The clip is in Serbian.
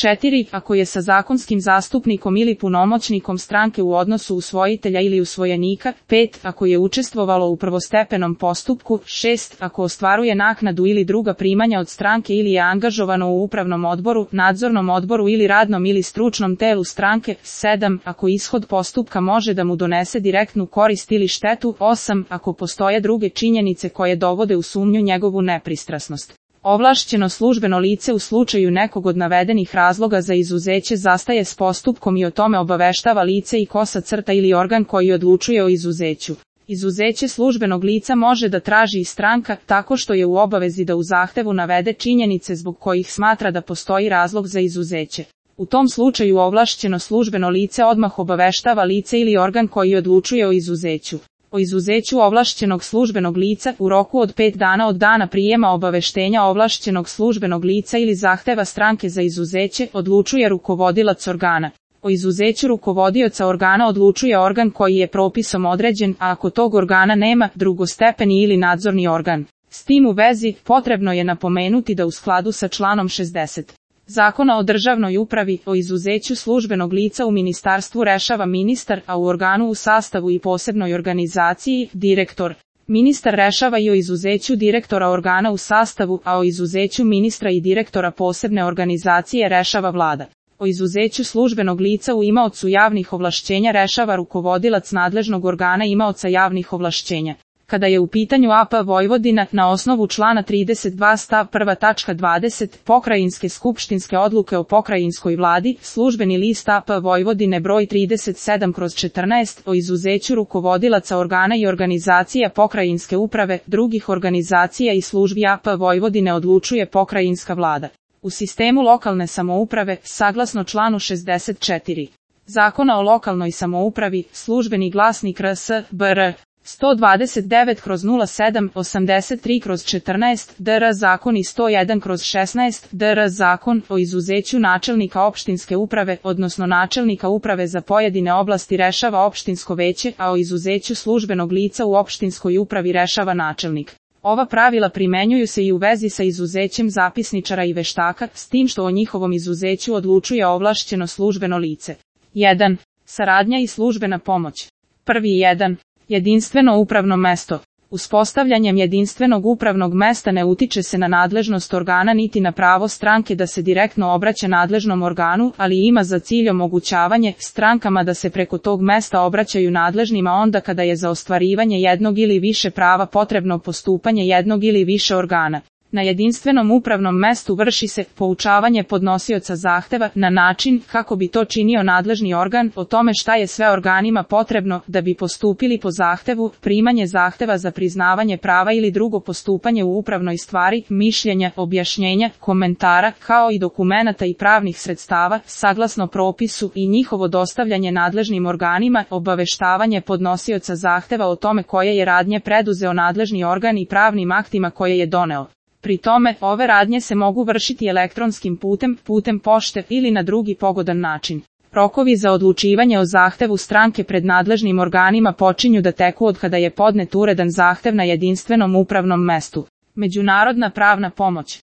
4. Ako je sa zakonskim zastupnikom ili punomoćnikom stranke u odnosu usvojitelja ili usvojenika. 5. Ako je učestvovalo u prvostepenom postupku. 6. Ako ostvaruje naknadu ili druga primanja od stranke ili je angažovano u upravnom odboru, nadzornom odboru ili radnom ili stručnom telu stranke. 7. Ako ishod postupka može da mu donese direktnu korist ili štetu. 8. Ako postoje druge činjenice koje dovode u sumnju njegovu nepristrasnost. Ovlašćeno službeno lice u slučaju nekog od navedenih razloga za izuzeće zastaje s postupkom i o tome obaveštava lice i / ili organ koji odlučuje o izuzeću. Izuzeće službenog lica može da traži i stranka, tako što je u obavezi da u zahtevu navede činjenice zbog kojih smatra da postoji razlog za izuzeće. U tom slučaju ovlašćeno službeno lice odmah obaveštava lice ili organ koji odlučuje o izuzeću. O izuzeću ovlašćenog službenog lica u roku od 5 dana od dana prijema obaveštenja ovlašćenog službenog lica ili zahteva stranke za izuzeće odlučuje rukovodilac organa. O izuzeću rukovodioca organa odlučuje organ koji je propisom određen, a ako tog organa nema, drugostepeni ili nadzorni organ. S tim u vezi, potrebno je napomenuti da u skladu sa članom 60. Zakona o državnoj upravi, o izuzeću službenog lica u ministarstvu rešava ministar, a u organu u sastavu i posebnoj organizaciji, direktor. Ministar rešava i o izuzeću direktora organa u sastavu, a o izuzeću ministra i direktora posebne organizacije rešava vlada. O izuzeću službenog lica u imaocu javnih ovlašćenja rešava rukovodilac nadležnog organa imaoca javnih ovlašćenja. Kada je u pitanju AP Vojvodina, na osnovu člana 32 stav 1 tačka 20 pokrajinske skupštinske odluke o pokrajinskoj vladi, službeni list AP Vojvodine broj 37/14 o izuzeću rukovodilaca organa i organizacija pokrajinske uprave, drugih organizacija i službi AP Vojvodine odlučuje pokrajinska vlada. U sistemu lokalne samouprave, saglasno članu 64 Zakona o lokalnoj samoupravi, službeni glasnik RS, BR. 129/07, 83/14, DR zakon i 101/16, DR zakon o izuzeću načelnika opštinske uprave, odnosno načelnika uprave za pojedine oblasti rešava opštinsko veće, a o izuzeću službenog lica u opštinskoj upravi rešava načelnik. Ova pravila primenjuju se i u vezi sa izuzećem zapisničara i veštaka, s tim što o njihovom izuzeću odlučuje ovlašćeno službeno lice. 1. Saradnja i službena pomoć. 1. Jedinstveno upravno mesto. Uspostavljanjem jedinstvenog upravnog mesta ne utiče se na nadležnost organa niti na pravo stranke da se direktno obraća nadležnom organu, ali ima za cilj omogućavanje strankama da se preko tog mesta obraćaju nadležnima onda kada je za ostvarivanje jednog ili više prava potrebno postupanje jednog ili više organa. Na jedinstvenom upravnom mestu vrši se poučavanje podnosioca zahteva na način kako bi to činio nadležni organ o tome šta je sve organima potrebno da bi postupili po zahtevu, primanje zahteva za priznavanje prava ili drugo postupanje u upravnoj stvari, mišljenja, objašnjenja, komentara, kao i dokumenata i pravnih sredstava, saglasno propisu i njihovo dostavljanje nadležnim organima, obaveštavanje podnosioca zahteva o tome koje je radnje preduzeo nadležni organ i pravnim aktima koje je doneo. Pri tome, ove radnje se mogu vršiti elektronskim putem pošte ili na drugi pogodan način. Rokovi za odlučivanje o zahtevu stranke pred nadležnim organima počinju da teku od kada je podnet uredan zahtev na jedinstvenom upravnom mestu. Međunarodna pravna pomoć.